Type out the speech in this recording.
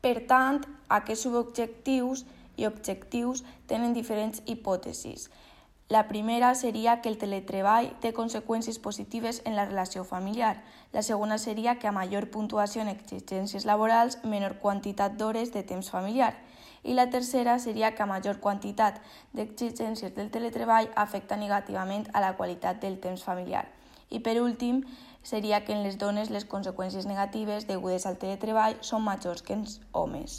Per tant, aquests subobjectius i objectius tenen diferents hipòtesis. La primera seria que el teletreball té conseqüències positives en la relació familiar. La segona seria que a major puntuació en exigències laborals, menor quantitat d'hores de temps familiar. I la tercera seria que a major quantitat d'exigències del teletreball afecta negativament a la qualitat del temps familiar. I per últim, seria que en les dones les conseqüències negatives degudes al teletreball són majors que en els homes.